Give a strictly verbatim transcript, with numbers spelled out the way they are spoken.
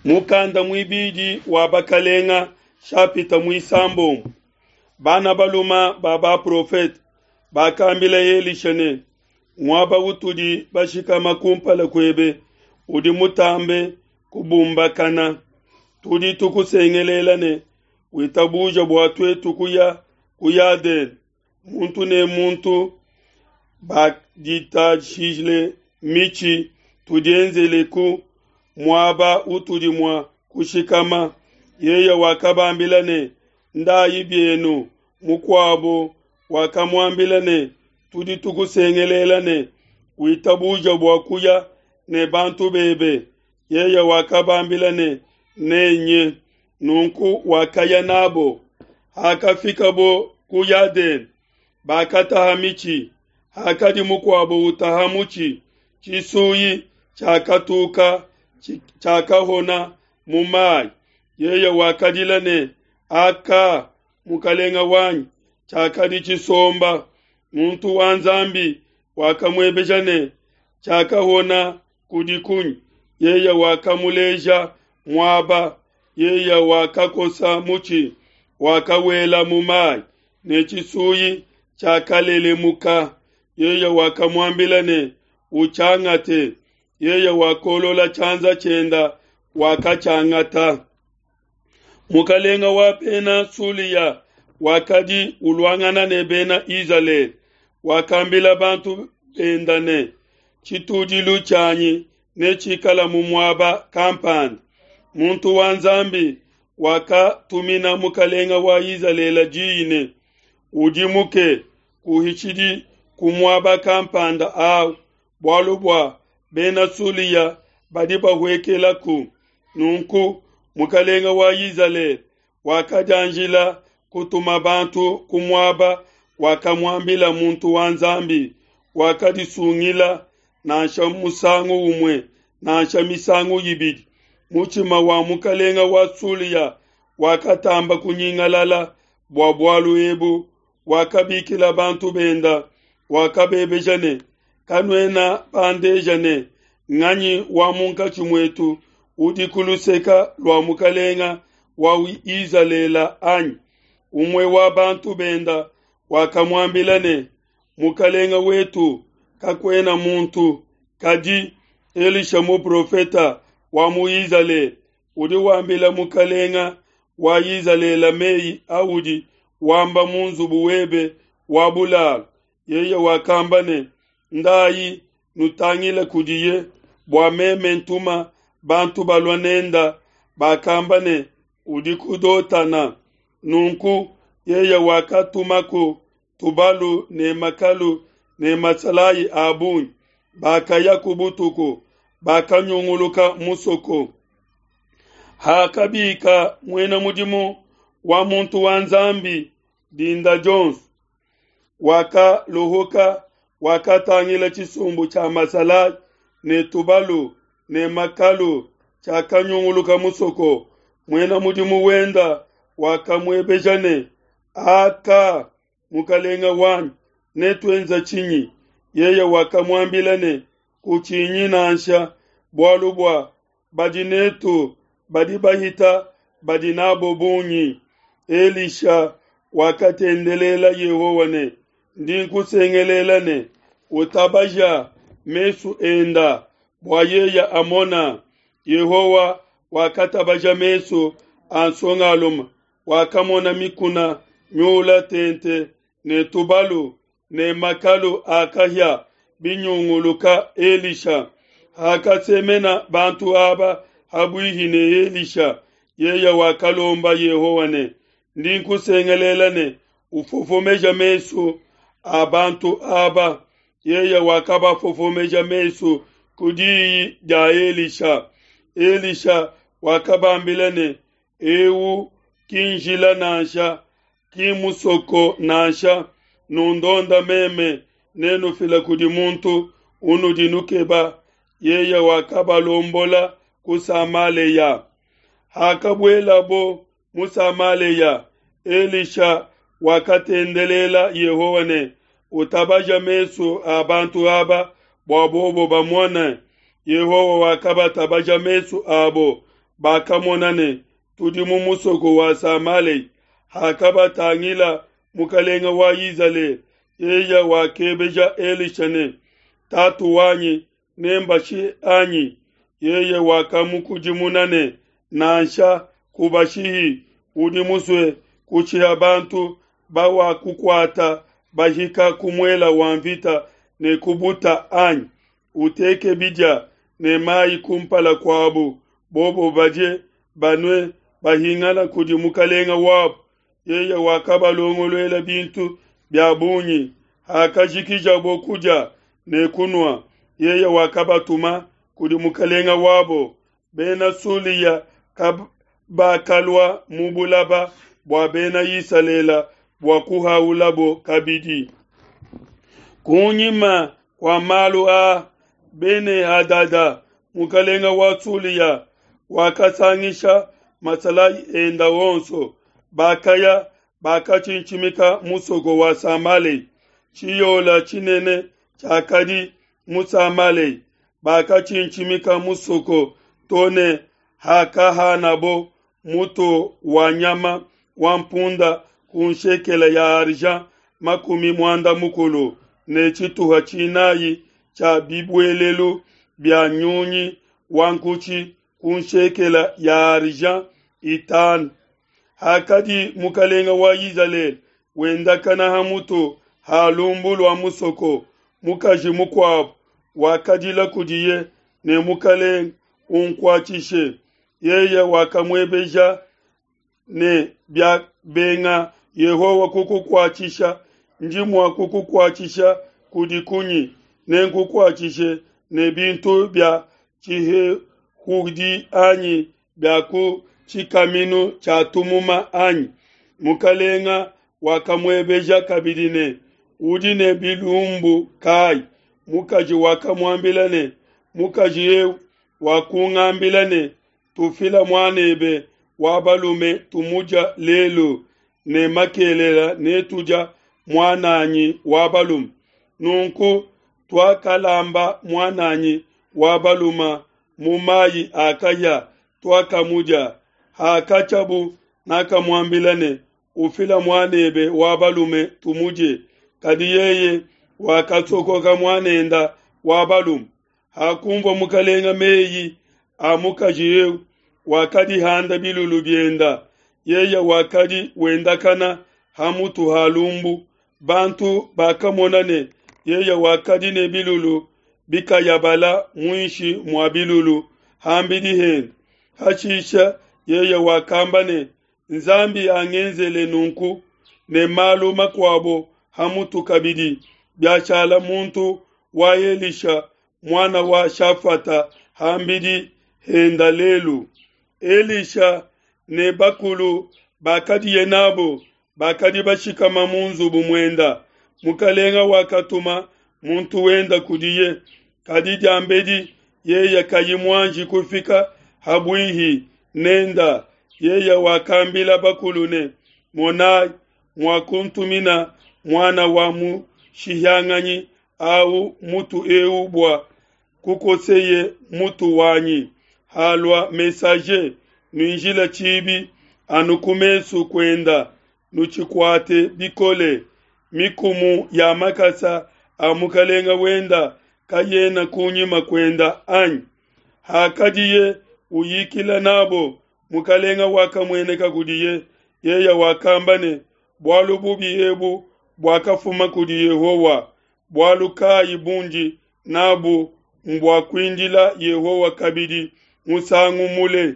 Mukanda muibidi wa bakalenga shapita muisambombo. Bana baluma ba baprofete bakambila Elisha ne, muaba utudi bashikama kumpala kuebe udi mutambe kubumbakana. Tudi tukusengelela ne witabuja bua tuetu kuya ku Yadene, muntu ne muntu baditashile mitshi tudienzeleku muaba utudi mua kushikama. Yeye wakabambila ne, ndayi bienu. Mukuabo wakamuambila ne, tudi tukusengelela ne witabuja bua kuya ne bantu bebe. Yeye wakabambila ne, nenye. Nunku wakaya nabo. Hakafikabo ku Yadene, bakataha mitshi. Hakadi mukuabo utaha mutshi, tshisuyi tshiakatuka tshiakahona mu mai. Yeye wakadila ne, aka mukalenga wanyi, tshiakadi tshisomba. Muntu wa Nzambi wakamuebeja ne, tshiakahona kudi kunyi? Yeye wakamuleja muaba. Yeye wakakosa mutshi, wakawela mu mai, ne tshisuyi tshiakalelemuka. Yeye wakamuambila ne, utshiangate. Yeye wakolola tshianza tshienda, wakatshiangata. Mukalenga wa bena Sulia wakadi uluangana ne bena Izalele, wakambila bantu benda ne, tshitudilu tshianyi netshikala mu muaba kampanda. Muntu wa Nzambi wakatumina mukalenga wa Izalele diyi ne, udimuke, kuhitshidi ku muaba kampanda awu, bualu bua bena Sulia badi bahuekelaku. Nunku mukalenga wa Izalele wakadianjila kutuma bantu ku muaba wakamuambila muntu wa Nzambi. Wakadisungila nansha musangu umue nansha misangu ibidi. Mutshima wa mukalenga wa Sulia wakatamba kunyingalala bua bualu ebu. Wakabikila bantu benda, wakabebeja ne, kanuena bandeja ne, nganyi wa munkatshi muetu udi ku luseka lua mukalenga wa Izalele anyi? Umue wa bantu benda wakamuambila ne, mukalenga wetu, kakuena muntu, kadi Elisha muprofeta wa mu Izalele udi wambila mukalenga wa Izalele meyi audi wamba mu nzubu webe wa bulalu. Yeye wakamba ne, ndayi nutangile kudiye, bua meme ntuma bantu balua nenda. Bakamba ne, udi ku Dotana. Nunku yeye wakatumaku tubalu ne makalu ne masalayi a bungi. Bakaya ku butuku, bakanyunguluka musoko. Hakabika muena mudimu wa muntu wa Nzambi dinda dionso, wakalohoka, wakatangila tshisumbu tshia masalayi ne tubalu ne makalu tshiakanyunguluka musoko. Muena mudimu wenda wakamuebeja ne, aka mukalenga wanyi, netuenza tshinyi? Yeye wakamuambila ne, kutshinyi nansha, bualu bua badi netu badi bahita badi nabo bungi. Elisha wakatendelela Yehowa ne, ndi nkusengelela ne, utabaja mesu enda bua yeye amona. Yehowa wakatabaja mesu a nsongalume, wakamona mikuna miula tente ne tubalu ne makalu a kahia binyunguluka Elisha. Hakasemena bantu aba habuihi ne Elisha, yeye wakalomba Yehowa ne, ndi nkusengelela ne, ufofomeja mesu a bantu aba. Yeye wakabafofomeja mesu ku diyi dia Elisha. Elisha wakabambila ne, eu ki njila nansha, ki musoko nansha, nundonda meme, nenufila kudi muntu unudi nukeba. Yeye wakabalombola ku Samaleya. Hakabuelabo mu Samaleya, Elisha wakatendelela Yehowa ne, utabaja mesu a bantu aba bua bobo bamone. Yehowa wakabatabaja mesu abo, bakamona ne, Tudi mu musoko wa Samalea. Hakabatangila mukelenge wa Izalele, yeye wakebeja Elisha ne, Tatu wanyi, nembashihe anyi? Yeye wakamukudimuna ne, Nansha, kubashihi, udi musue kushiha bantu bawakukuata bahika ku muele wa nvita ne ku buta, anyi? Uteke bidia ne mai ku mpala kuabo, bobo badie, banue, bahingane kudi mukelenge wabo. Yeye wakabalongoluela bintu bia bungi. Hakajikijabo kudia ne kunua, yeye wakabatuma kudi mukelenge wabo. Bena Sulia kabakalua mu bulaba bua Bena Isalele bua kuhaulabo kabidi. Kunyima kua malu aa, Bene-Hadada mukelenge wa Sulia wakasangisha masalayi ende onso, bakaya bakatshintshimika musoko wa Samalea. Tshiyola tshinene tshiakadi mu Samalea, bakatshintshimika musoko to ne hakahanabo mutu wa nyama wa mpunda ku nshekele ya argent makumi muanda mukulu ne tshituha tshinai tshia bibuelelu bia nyunyi wa nkutshi ku nshekele ya argent itanu. Hakadi mukelenge wa Izalele wendakana ha mutu ha lumbu lua musoko, mukaji mukuabo wakadila kudiye ne, Mukelenge, unkuatshishe. Yeye wakamuebeja ne, Biabenga Yehowa kukukuatshisha, ndi mua kukukuatshisha kudi kunyi? Nenkukuatshishe ne bintu bia tshihehudi anyi bia ku tshikaminu tshia tumuma anyi? Mukelenge wakamuebeja kabidi ne, Udi ne bilumbu kayi? Mukaji wakamuambila ne, Mukaji eu wakungambila ne, Tufila muanebe wa balume tumudia lelu, ne makelela netudia muan'anyi wa balume. Nunku tuakalamba muan'anyi wa balume mu mai a kahia, tuakamudia. Hakatshiabu nakamuambila ne, Ufile muanebe wa balume tumudie. Kadi yeye wakasokoka muanende wa balume. Hakunvua mukelenge mei a mukaji eu, wakadihanda bilulu biende. Yeye wakadi wendakana ha mutu ha lumbu. Bantu bakamona ne yeye wakadi ne bilulu bikayabala muinshi mua bilulu ham'bidi hende. Hashishe yeye wakamba ne, Nzambi angenzele nunku ne malu makuabo ha mutu kabidi, biashala muntu wa Elisha muana wa Shafata ham'bidi henda lelu. Elisha ne bakulu bakadiye nabo bakadi bashikama mu nzubu muenda. Mukelenge wakatuma muntu wenda kudiye, kadi diambedi yeye kayi muanji kufika ha buihi nenda, yeye wakambila bakulu ne, Monai, muakuntumina muana wa mushihianganyi au mutu eu bua kukoseye mutu wanyi. Halua messager, nuinjile tshibi anu ku mesu kuenda, nutshikuate bikole. Mikumu ya makasa a mukelenge wenda kayena kunyima kuenda, anyi? Hakadiye uyikila n'abo, mukelenge wakamueneka kudiye. Yeye wakamba ne, Bualu bubi ebu buakafuma kudi Yehowa, bualu kai bundi n'abu mbua kuindila Yehowa kabidi musangu mule?